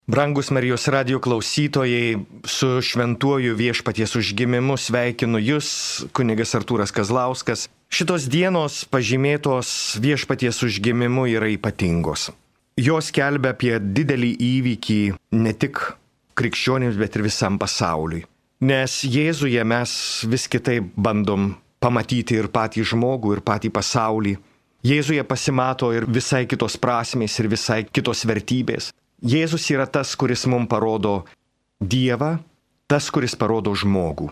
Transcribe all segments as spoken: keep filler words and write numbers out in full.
Brangus Marijos radijo klausytojai, su šventuoju viešpaties užgimimu sveikinu Jūs, kunigas Artūras Kazlauskas. Šitos dienos pažymėtos viešpaties užgimimu yra ypatingos. Jos kelbia apie didelį įvykį ne tik krikščionims, bet ir visam pasauliui. Nes Jėzuje mes vis kitaip bandom pamatyti ir patį žmogų, ir patį pasaulį. Jėzuje pasimato ir visai kitos prasmės, ir visai kitos vertybės. Jėzus yra tas, kuris mums parodo Dievą, tas, kuris parodo žmogų.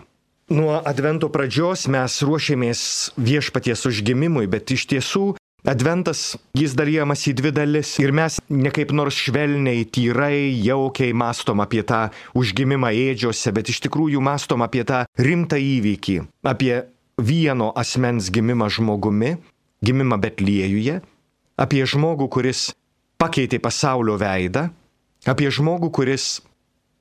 Nuo Advento pradžios mes ruošiamės viešpaties užgimimui, bet iš tiesų Adventas jis dalyjamas į dvi dalis ir mes ne kaip nors švelniai, tyrai, jaukiai mastom apie tą užgimimą ėdžiose, bet iš tikrųjų mastom apie tą rimtą įvykį, apie vieno asmens gimimą žmogumi, gimimą Betliejuje, apie žmogų, kuris pakeitė pasaulio veidą, apie žmogų, kuris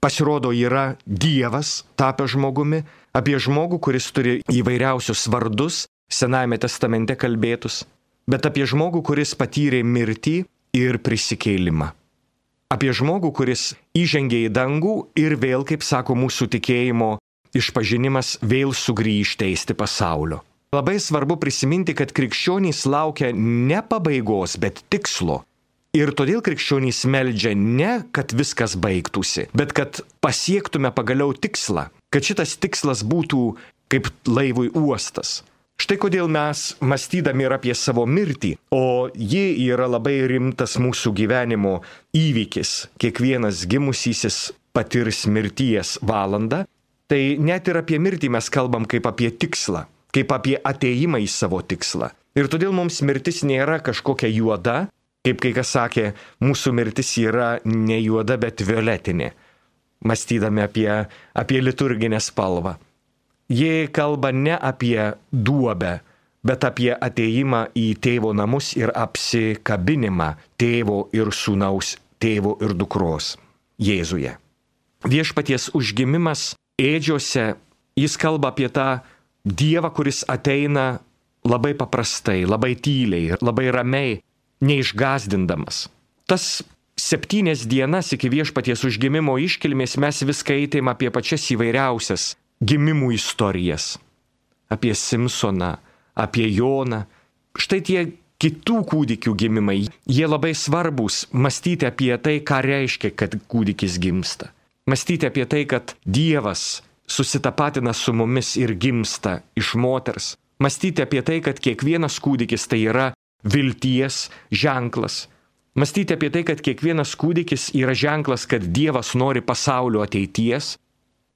pasirodo yra Dievas tapęs žmogumi, apie žmogų, kuris turi įvairiausius vardus, Senajame testamente kalbėtus, bet apie žmogų, kuris patyrė mirtį ir prisikėlimą. Apie žmogų, kuris įžengė į dangų ir vėl, kaip sako mūsų tikėjimo išpažinimas, vėl sugrįž teisti pasaulio. Labai svarbu prisiminti, kad krikščionys laukia ne pabaigos, bet tikslo. Ir todėl krikščionys meldžia ne, kad viskas baigtųsi, bet kad pasiektume pagaliau tikslą, kad šitas tikslas būtų kaip laivui uostas. Štai kodėl mes, mąstydami ir apie savo mirtį, o ji yra labai rimtas mūsų gyvenimo įvykis, kiekvienas gimusysis patirs mirties valandą, tai net ir apie mirtį mes kalbam kaip apie tikslą, kaip apie atėjimą į savo tikslą. Ir todėl mums mirtis nėra kažkokia juoda, kaip kai kas sakė, mūsų mirtis yra ne juoda, bet violetinė, mąstydami apie, apie liturginę spalvą. Jie kalba ne apie duobę, bet apie atėjimą į tėvo namus ir apsikabinimą tėvo ir sūnaus, tėvo ir dukros Jėzuje. Viešpaties užgimimas ėdžiose, jis kalba apie tą Dievą, kuris ateina labai paprastai, labai tyliai, labai ramiai, neišgazdindamas. Tas septynias dienas iki viešpaties užgimimo iškilmės mes vis skaitėm apie pačias įvairiausias gimimų istorijas. Apie Simsoną, apie Joną. Štai tie kitų kūdikių gimimai, jie labai svarbus mąstyti apie tai, ką reiškia, kad kūdikis gimsta. Mąstyti apie tai, kad Dievas susitapatina su mumis ir gimsta iš moters. Mąstyti apie tai, kad kiekvienas kūdikis tai yra vilties ženklas. Mąstyti apie tai, kad kiekvienas kūdikis yra ženklas, kad Dievas nori pasaulio ateities.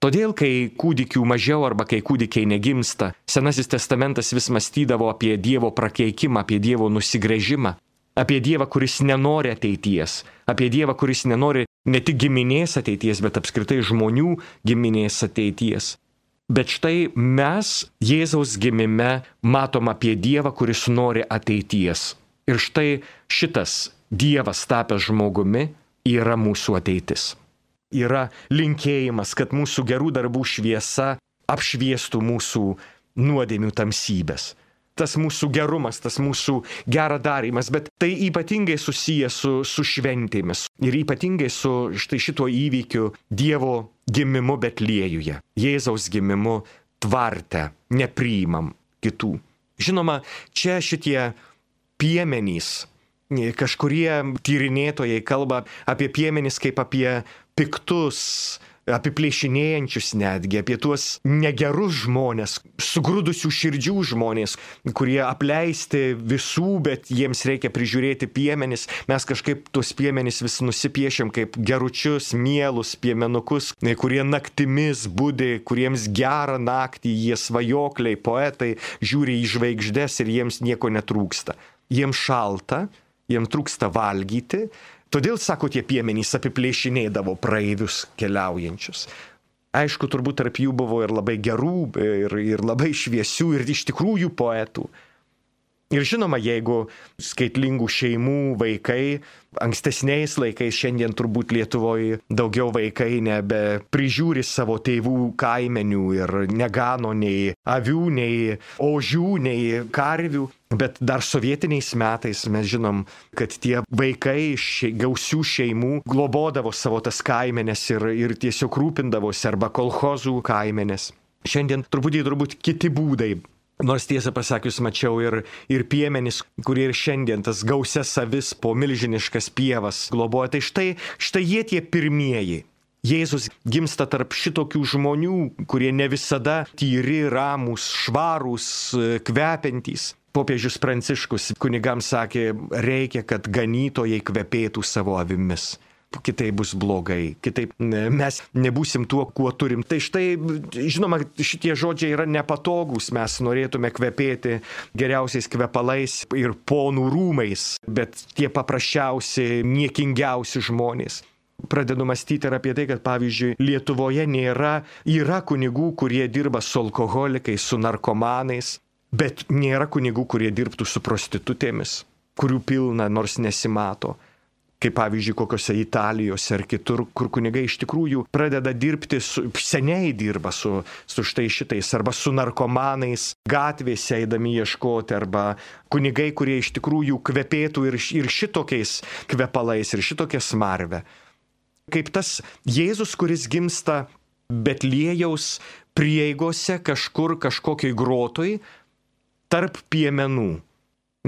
Todėl, kai kūdikių mažiau arba kai kūdikiai negimsta, Senasis testamentas vis mąstydavo apie Dievo prakeikimą, apie Dievo nusigręžimą, apie Dievą, kuris nenori ateities, apie Dievą, kuris nenori ne tik giminės ateities, bet apskritai žmonių giminės ateities. Bet štai mes Jėzaus gimime matom apie Dievą, kuris nori ateities. Ir štai šitas Dievas tapęs žmogumi yra mūsų ateitis. Yra linkėjimas, kad mūsų gerų darbų šviesa apšviestų mūsų nuodėmių tamsybės. Tas mūsų gerumas, tas mūsų gera darymas, bet tai ypatingai susijęs su, su šventėmis ir ypatingai su štai šituo įvykiu Dievo gimimu Betliejuje, Jėzaus gimimu tvarte, nepriimam kitų. Žinoma, čia šitie piemenys, kažkurie tyrinėtojai kalba apie piemenys kaip apie piktus, apiplėšinėjančius netgi, apie tuos negerus žmonės, sugrūdusių širdžių žmonės, kurie apleisti visų, bet jiems reikia prižiūrėti piemenis. Mes kažkaip tuos piemenis vis nusipiešiam kaip geručius, mielus piemenukus, kurie naktimis budi, kuriems gerą naktį, jie svajokliai, poetai, žiūri į žvaigždes ir jiems nieko netrūksta. Jiems šalta, jiems trūksta valgyti. Todėl, sako, tie piemenys apiplėšinėdavo praeivius keliaujančius. Aišku, turbūt tarp jų buvo ir labai gerų, ir, ir labai šviesių, ir iš tikrųjų poetų. Ir žinoma, jeigu skaitlingų šeimų vaikai, ankstesniais laikais, šiandien turbūt Lietuvoje daugiau vaikai nebe prižiūri savo tėvų kaimenių ir negano nei avių, nei ožių, nei karvių. Bet dar sovietiniais metais mes žinom, kad tie vaikai iš gausių šeimų globodavo savo tas kaimenes ir, ir tiesiog rūpindavosi arba kolchozų kaimenes. Šiandien truputį turbūt kiti būdai. Nors tiesą pasakius mačiau ir, ir piemenis, kurie ir šiandien tas gausias avis po milžiniškas pievas globoja. Tai štai, štai jie tie pirmieji. Jėzus gimsta tarp šitokių žmonių, kurie ne visada tyri, ramūs, švarūs, kvepiantys. Popiežius Pranciškus kunigams sakė, reikia, kad ganytojai kvepėtų savo avimis. Kitaip bus blogai, kitaip mes nebūsim tuo, kuo turim. Tai štai, žinoma, šitie žodžiai yra nepatogus, mes norėtume kvepėti geriausiais kvepalais ir ponų rūmais, bet tie paprasčiausi, niekingiausi žmonės. Pradedu mąstyti ir apie tai, kad pavyzdžiui Lietuvoje nėra, yra kunigų, kurie dirba su alkoholikais, su narkomanais, bet nėra kunigų, kurie dirbtų su prostitutėmis, kurių pilna nors nesimato. Kaip pavyzdžiui, kokiose Italijose ar kitur, kur kunigai iš tikrųjų pradeda dirbti, su, seniai dirba su, su štai šitais, arba su narkomanais, gatvėse eidami ieškoti, arba kunigai, kurie iš tikrųjų kvepėtų ir, ir šitokiais kvepalais, ir šitokia smarve. Kaip tas Jėzus, kuris gimsta Betliejaus prieigose kažkur kažkokiai grotoj, tarp piemenų.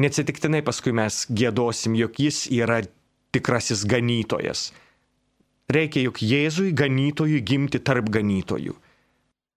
Neatsitiktinai paskui mes giedosim, jog jis yra tikrasis ganytojas. Reikia juk Jėzui ganytojui gimti tarp ganytojų.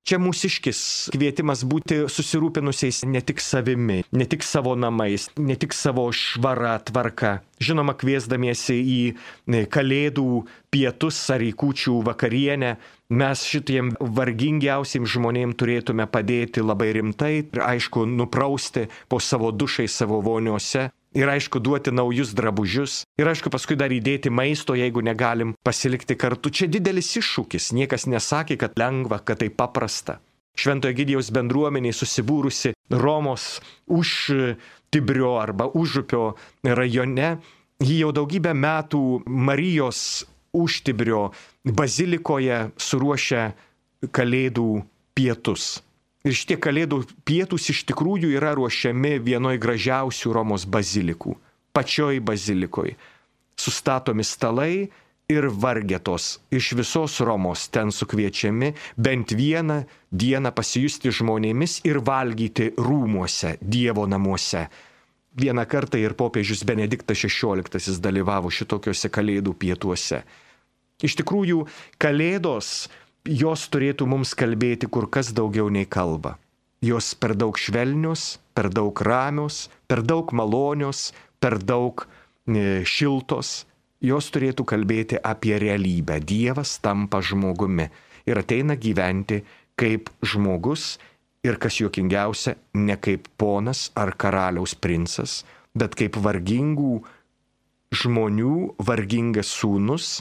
Čia mūsiškis kvietimas būti susirūpinusiais ne tik savimi, ne tik savo namais, ne tik savo švara tvarka. Žinoma, kviesdamiesi į kalėdų pietus ar į kūčių vakarienę, mes šitiem vargingiausiam žmonėm turėtume padėti labai rimtai ir aišku nuprausti po savo dušai savo voniose. Ir aišku, duoti naujus drabužius. Ir aišku, paskui dar įdėti maisto, jeigu negalim pasilikti kartu. Čia didelis iššūkis. Niekas nesakė, kad lengva, kad tai paprasta. Šventojo Egidijaus bendruomeniai susibūrusi Romos už Tibrio arba Užupio rajone. Ji jau daugybę metų Marijos Užtibrio bazilikoje suruošia kalėdų pietus. Ir šitie kalėdų pietūs iš tikrųjų yra ruošiami vienoj gražiausių Romos bazilikų, pačioj bazilikoj. Sustatomi stalai ir vargetos iš visos Romos ten sukviečiami bent vieną dieną pasijusti žmonėmis ir valgyti rūmuose, Dievo namuose. Vieną kartą ir popiežius Benediktas šešioliktasis dalyvavo šitokiuose kalėdų pietuose. Iš tikrųjų, kalėdos jos turėtų mums kalbėti kur kas daugiau nei kalba. Jos per daug švelnios, per daug ramios, per daug malonios, per daug e, šiltos. Jos turėtų kalbėti apie realybę. Dievas tampa žmogumi ir ateina gyventi kaip žmogus ir, kas juokingiausia, ne kaip ponas ar karaliaus princas, bet kaip vargingų žmonių vargingas sūnus,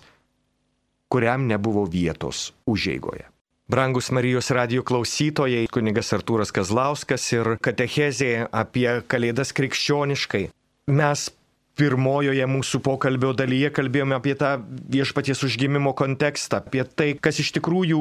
kuriam nebuvo vietos užeigoje. Brangus Marijos radijo klausytojai, kunigas Artūras Kazlauskas ir katechezė apie kalėdas krikščioniškai. Mes pirmojoje mūsų pokalbio dalyje kalbėjome apie tą viešpaties užgimimo kontekstą, apie tai, kas iš tikrųjų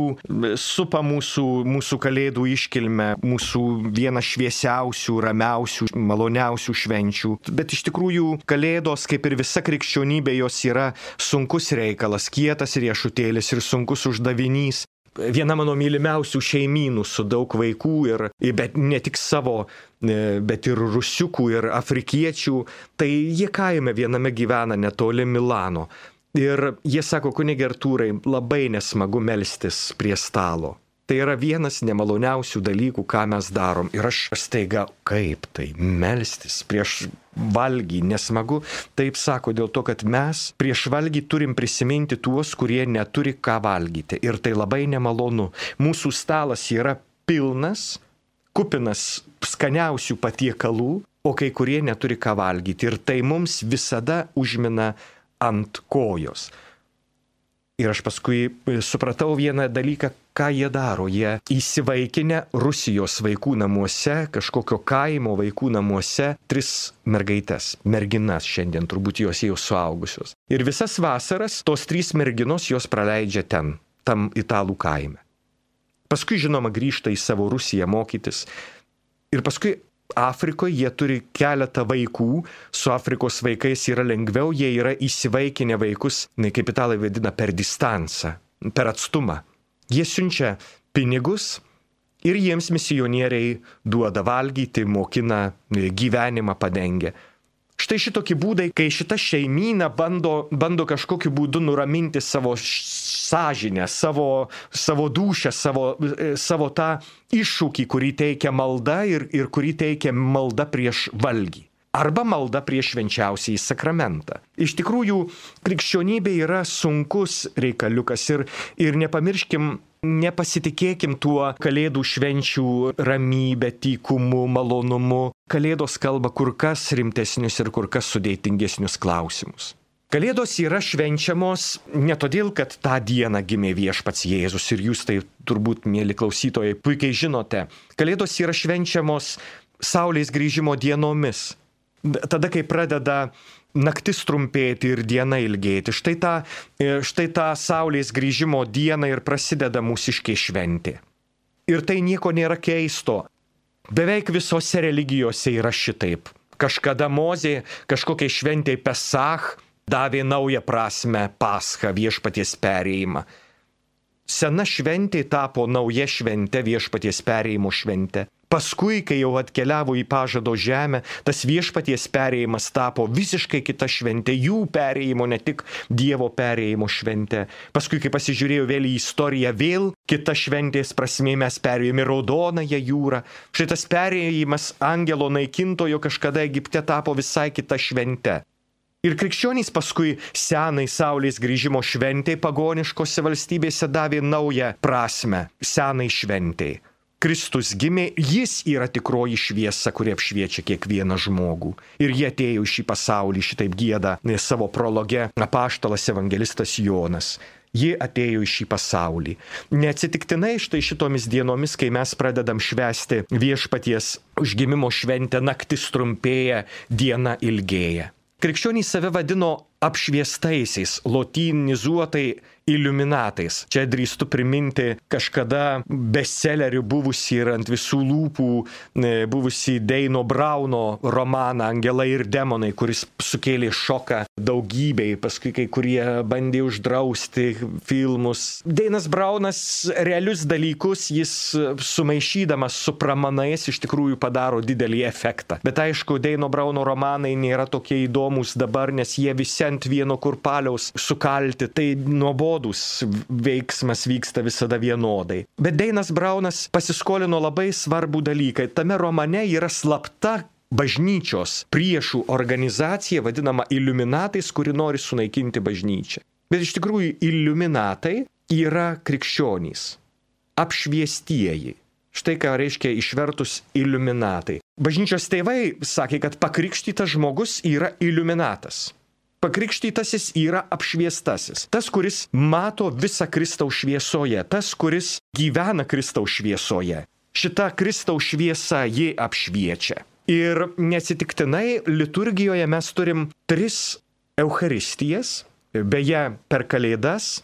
supa mūsų, mūsų kalėdų iškilmę, mūsų vieną šviesiausių, ramiausių, maloniausių švenčių. Bet iš tikrųjų kalėdos, kaip ir visa krikščionybė, jos yra sunkus reikalas, kietas riešutėlis ir sunkus uždavinys. Viena mano mylimiausių šeimynų su daug vaikų, ir, bet ne tik savo, bet ir rusiukų ir afrikiečių, tai jie kaime viename gyvena netoli Milano. Ir jie sako, kunige Artūrai, labai nesmagu melstis prie stalo. Tai yra vienas nemaloniausių dalykų, ką mes darom. Ir aš staiga, kaip tai melstis prieš valgį nesmagu? Taip sako, dėl to, kad mes prieš valgį turim prisiminti tuos, kurie neturi ką valgyti. Ir tai labai nemalonu. Mūsų stalas yra pilnas, kupinas skaniausių patiekalų, o kai kurie neturi ką valgyti. Ir tai mums visada užmina ant kojos. Ir aš paskui supratau vieną dalyką, ką jie daro. Jie įsivaikinę Rusijos vaikų namuose, kažkokio kaimo vaikų namuose, tris mergaites, merginas šiandien, turbūt jos jau suaugusios. Ir visas vasaras tos trys merginos jos praleidžia ten, tam italų kaime. Paskui, žinoma, grįžta į savo Rusiją mokytis. Ir paskui Afrikoje jie turi keletą vaikų, su Afrikos vaikais yra lengviau, jie yra įsivaikinę vaikus, kaip italai vadina, per distansą, per atstumą. Jie siunčia pinigus ir jiems misionieriai duoda valgyti, mokina, gyvenimą padengia. Štai šitokie būdai, kai šita šeimyna bando, bando kažkokiu būdu nuraminti savo sąžinę, savo, savo dūšią, savo, savo tą iššūkį, kurį teikia malda ir, ir kurį teikia malda prieš valgį. Arba malda prieš švenčiausiąjį sakramentą. Iš tikrųjų, krikščionybė yra sunkus reikaliukas ir, ir nepamirškim, nepasitikėkim tuo kalėdų švenčių ramybę, tykumu, malonumu. Kalėdos kalba kur kas rimtesnius ir kur kas sudėtingesnius klausimus. Kalėdos yra švenčiamos ne todėl, kad tą dieną gimė viešpats Jėzus ir jūs tai turbūt, mėly klausytojai, puikiai žinote. Kalėdos yra švenčiamos Saulės grįžimo dienomis. Tada, kai pradeda naktis trumpėti ir diena ilgėti. Štai tą, štai tą Saulės grįžimo dieną ir prasideda mūsiškė šventė. Ir tai nieko nėra keisto. Beveik visose religijose yra šitaip. Kažkada Mozė kažkokiai šventėj Pesach davė naują prasme Paschą, viešpaties perėjimą. Sena šventė tapo nauja švente, viešpaties perėjimo švente. Paskui, kai jau atkeliavo į pažado žemę, tas viešpaties perėjimas tapo visiškai kita šventė, jų perėjimo, ne tik Dievo perėjimo šventė. Paskui, kai pasižiūrėjau vėl į istoriją, vėl kita šventės prasmė, mes perėjome Raudonąją jūrą. Šitas perėjimas angelo naikintojo kažkada Egipte tapo visai kita švente. Ir krikščionys paskui senai Saulės grįžimo šventei pagoniškose valstybėse davė naują prasme senai šventei. Kristus gimė, jis yra tikroji šviesa, kuri apšviečia kiekvieną žmogų. Ir jie atėjo į šį pasaulį, šitaip gieda savo prologe apaštalas evangelistas Jonas. Jie atėjo į šį pasaulį. Neatsitiktinai štai šitomis dienomis, kai mes pradedam švęsti viešpaties užgimimo šventę, naktis trumpėja, diena ilgėja. Krikščionys save vadino apšviestaisiais, lotynizuotai iliuminatais. Čia drįstu priminti kažkada bestsellerių buvusį ir ant visų lūpų buvusį Deino Brauno romaną Angelai ir demonai, kuris sukėlė šoką daugybei, paskui kai kurie bandė uždrausti filmus. Deinas Braunas realius dalykus, jis sumaišydamas su pramanais iš tikrųjų padaro didelį efektą. Bet aišku, Deino Brauno romanai nėra tokie įdomus dabar, nes jie visi ant vieno kurpaliaus sukalti, tai nuobodus veiksmas vyksta visada vienodai. Bet Deinas Braunas pasiskolino labai svarbų dalyką. Tame romane yra slapta bažnyčios priešų organizacija, vadinama iliuminatais, kuri nori sunaikinti bažnyčią. Bet iš tikrųjų iliuminatai yra krikščionys, apšviestieji. Štai ką reiškia išvertus iliuminatai. Bažnyčios tėvai sakė, kad pakrikštytas žmogus yra iliuminatas. Pakrikštytasis yra apšviestasis. Tas, kuris mato visą Kristaus šviesoje. Tas, kuris gyvena Kristaus šviesoje. Šita Kristaus šviesa jį apšviečia. Ir neatsitiktinai liturgijoje mes turim tris Eucharistijas. Beje, per Kalėdas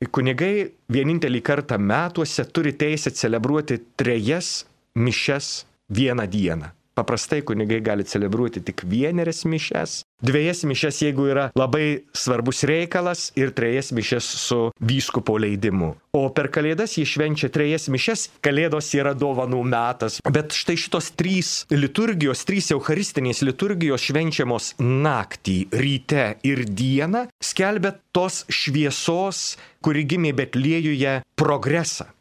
kunigai vienintelį kartą metuose turi teisę celebruoti trejas mišias vieną dieną. Paprastai kunigai gali celebruoti tik vienerias mišias, dviejas mišias, jeigu yra labai svarbus reikalas, ir trejas mišias su vyskupo leidimu. O per Kalėdas jie švenčia trejas mišias, Kalėdos yra dovanų metas. Bet štai šitos trys liturgijos, trys eucharistinės liturgijos švenčiamos naktį, ryte ir dieną, skelbia tos šviesos, kuri gimė Betliejuje, progresą.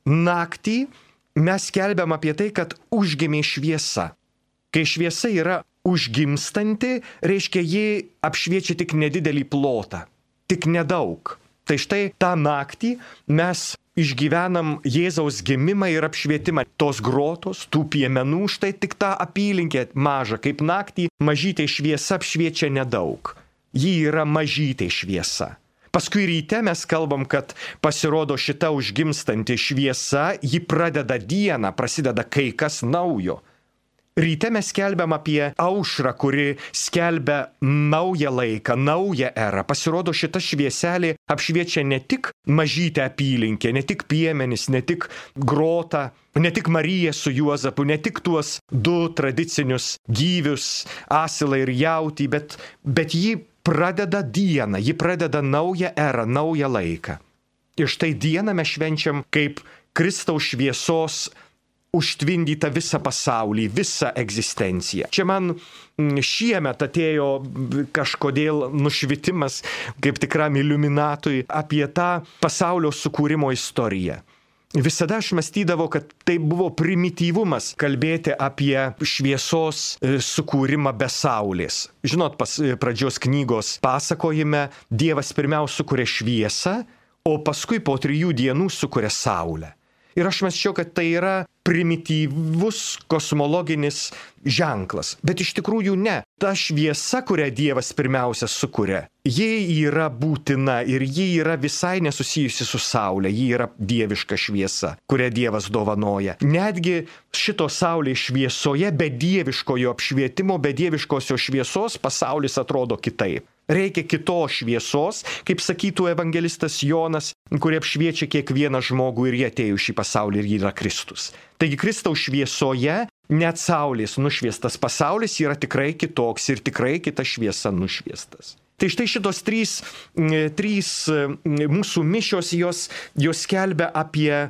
Naktį mes skelbiam apie tai, kad užgimė šviesa. Kai šviesa yra užgimstanti, reiškia, ji apšviečia tik nedidelį plotą, tik nedaug. Tai štai tą naktį mes išgyvenam Jėzaus gimimą ir apšvietimą. Tos grotos, tų piemenų, štai tik tą apylinkę mažą, kaip naktį mažytė šviesa apšviečia nedaug. Ji yra mažytė šviesa. Paskui ryte mes kalbam, kad pasirodo šita užgimstanti šviesa, ji pradeda dieną, prasideda kai kas naujo. Ryte mes skelbiam apie aušrą, kuri skelbia naują laiką, naują erą. Pasirodo, šita švieselė apšviečia ne tik mažytę apylinkę, ne tik piemenis, ne tik grotą, ne tik Mariją su Juozapu, ne tik tuos du tradicinius gyvius, asilą ir jautį, bet, bet ji pradeda dieną, ji pradeda naują erą, naują laiką. Ir štai dieną mes švenčiam kaip Kristaus šviesos užtvindyta visą pasaulį, visą egzistenciją. Čia man šiemet atėjo kažkodėl nušvitimas, kaip tikram iliuminatui, apie tą pasaulio sukūrimo istoriją. Visada aš mąstydavau, kad tai buvo primityvumas kalbėti apie šviesos sukūrimą be saulės. Žinot, pas pradžios knygos pasakojime Dievas pirmiausia sukuria šviesą, o paskui po trijų dienų sukuria saulę. Ir aš mąsčiau, kad tai yra primityvus kosmologinis ženklas. Bet iš tikrųjų ne. Ta šviesa, kurią Dievas pirmiausia sukuria, ji yra būtina ir ji yra visai nesusijusi su saulė. Ji yra dieviška šviesa, kurią Dievas dovanoja. Netgi šito saulės šviesoje, be dieviškojo apšvietimo, be dieviškosios šviesos pasaulis atrodo kitaip. Reikia kitos šviesos, kaip sakytų evangelistas Jonas, kurie apšviečia kiekvieną žmogų ir jie atėjo šį pasaulį ir jį yra Kristus. Taigi Kristaus šviesoje net saulės nušviestas pasaulis yra tikrai kitoks ir tikrai kita šviesa nušviestas. Tai štai šitos trys, trys mūsų mišios, jos, jos skelbia apie,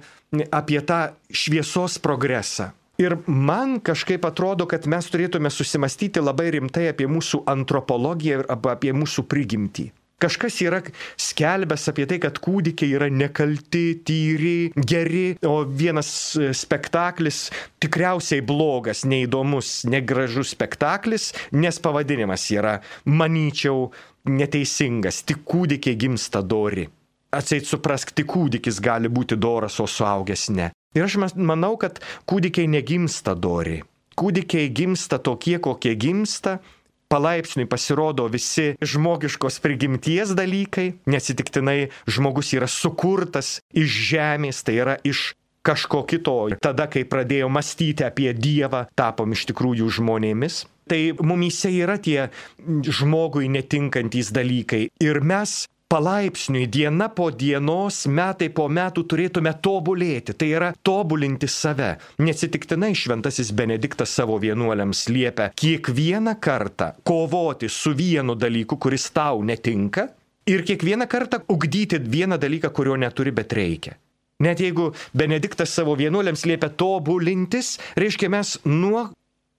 apie tą šviesos progresą. Ir man kažkaip atrodo, kad mes turėtume susimastyti labai rimtai apie mūsų antropologiją ir apie mūsų prigimtį. Kažkas yra skelbęs apie tai, kad kūdikiai yra nekalti, tyri, geri, o vienas spektaklis tikriausiai blogas, neįdomus, negražus spektaklis, nes pavadinimas yra, manyčiau, neteisingas, tik kūdikiai gimsta dori. Atseit suprask, tik kūdikis gali būti doras, o suaugęs ne. Ir aš manau, kad kūdikiai negimsta dori. Kūdikiai gimsta tokie, kokie gimsta. Palaipsniui pasirodo visi žmogiškos prigimties dalykai. Neatsitiktinai žmogus yra sukurtas iš žemės, tai yra iš kažko kito. Tada, kai pradėjo mąstyti apie Dievą, tapom iš tikrųjų žmonėmis. Tai mumyse yra tie žmogui netinkantys dalykai. Ir mes palaipsniui, diena po dienos, metai po metų turėtume tobulėti, tai yra tobulinti save. Neatsitiktinai šventasis Benediktas savo vienuoliams liepia kiekvieną kartą kovoti su vienu dalyku, kuris tau netinka, ir kiekvieną kartą ugdyti vieną dalyką, kurio neturi, bet reikia. Net jeigu Benediktas savo vienuoliams liepia tobulintis, reiškia mes nuo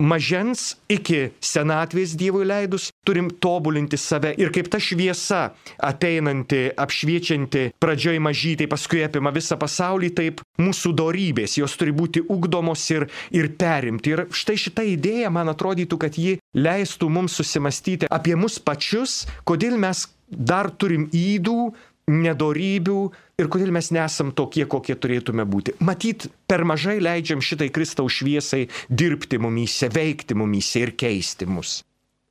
mažens iki senatvės Dievui leidus turim tobulinti save. Ir kaip ta šviesa ateinanti, apšviečianti pradžioj mažytai, paskui apima visą pasaulį, taip mūsų dorybės, jos turi būti ugdomos ir, ir perimti. Ir štai šita idėja, man atrodytų, kad ji leistų mums susimastyti apie mus pačius, kodėl mes dar turim ydų, nedorybių ir kodėl mes nesam tokie, kokie turėtume būti. Matyt, per mažai leidžiam šitai Kristaus šviesai dirbti mumyse, veikti mumyse ir keisti mus.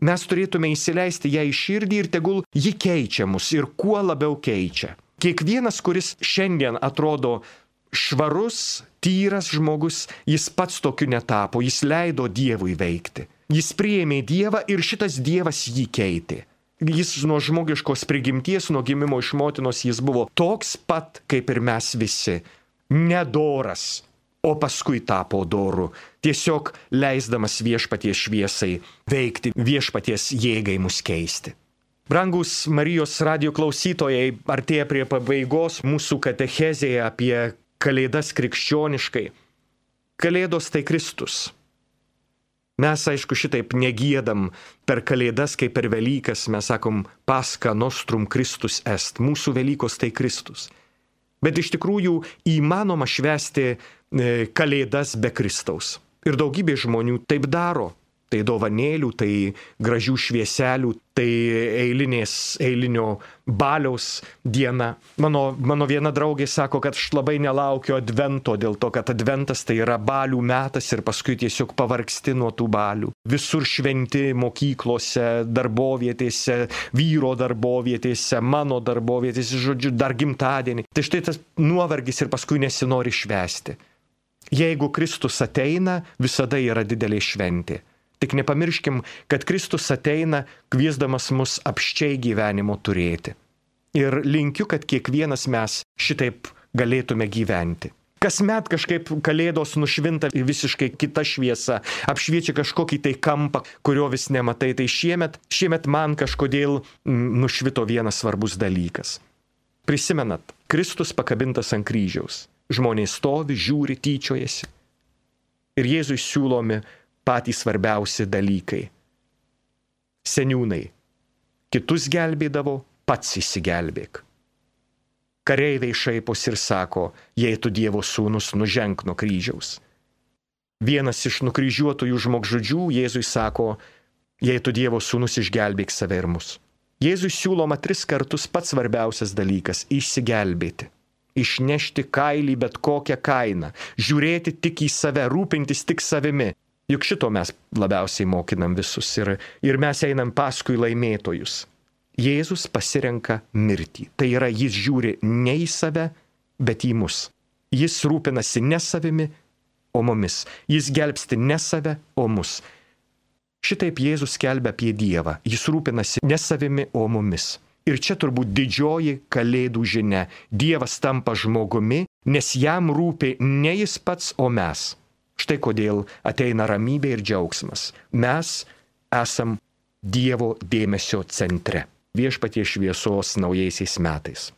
Mes turėtume įsileisti ją į širdį ir tegul ji keičia mus ir kuo labiau keičia. Kiekvienas, kuris šiandien atrodo švarus, tyras žmogus, jis pats tokiu netapo, jis leido Dievui veikti. Jis priėmė Dievą ir šitas Dievas jį keitė. Jis nuo žmogiškos prigimties, nuo gimimo iš motinos, jis buvo toks pat, kaip ir mes visi. Nedoras, o paskui tapo doru. Tiesiog leisdamas viešpaties šviesai veikti, viešpaties jėgai mus keisti. Brangus Marijos radijo klausytojai, artėja prie pabaigos mūsų katechezėje apie Kalėdas krikščioniškai. Kalėdos tai Kristus. Mes, aišku, šitaip negiedam per Kalėdas, kaip per Velykas, mes sakom, Pascha nostrum Christus est, mūsų Velykos tai Kristus. Bet iš tikrųjų įmanoma švęsti Kalėdas be Kristaus. Ir daugybė žmonių taip daro. Tai dovanėlių, tai gražių švieselių, tai eilinės, eilinio baliaus diena. Mano, mano viena draugė sako, kad aš labai nelaukiu advento, dėl to, kad adventas tai yra balių metas ir paskui tiesiog pavargsti nuo tų balių. Visur šventi mokyklose, darbovietėse, vyro darbovietėse, mano darbovietėse, žodžiu, dar gimtadienį. Tai štai tas nuovargis ir paskui nesinori švęsti. Jeigu Kristus ateina, visada yra didelė šventė. Tik nepamirškim, kad Kristus ateina kviesdamas mus apsčiai gyvenimo turėti. Ir linkiu, kad kiekvienas mes šitaip galėtume gyventi. Kasmet kažkaip kalėdos nušvinta visiškai kita šviesa, apšviečia kažkokį tai kampą, kurio vis nematai. Tai šiemet, šiemet man kažkodėl nušvito vienas svarbus dalykas. Prisimenat, Kristus pakabintas ant kryžiaus. Žmonės stovi, žiūri, tyčiojasi. Ir Jėzui siūlomi patys svarbiausi dalykai. Seniūnai kitus gelbėdavo, pats įsigelbėk. Kareiviai šaipos ir sako, jei tu Dievo sūnus, nuženk nuo kryžiaus. Vienas iš nukryžiuotųjų žmogžudžių Jėzui sako, jei tu Dievo sūnus, išgelbėk save ir mus. Jėzui siūloma tris kartus pats svarbiausias dalykas – įsigelbėti. Išnešti kailį bet kokią kainą, žiūrėti tik į save, rūpintis tik savimi. Juk šito mes labiausiai mokinam visus ir, ir mes einam paskui laimėtojus. Jėzus pasirenka mirtį. Tai yra, jis žiūri ne į save, bet į mus. Jis rūpinasi ne savimi, o mumis. Jis gelbsti ne save, o mus. Šitaip Jėzus skelbia apie Dievą. Jis rūpinasi ne savimi, o mumis. Ir čia turbūt didžioji kalėdų žinia. Dievas tampa žmogumi, nes jam rūpi ne jis pats, o mes. Štai kodėl ateina ramybė ir džiaugsmas. Mes esam Dievo dėmesio centre. Viešpaties šviesos naujaisiais metais.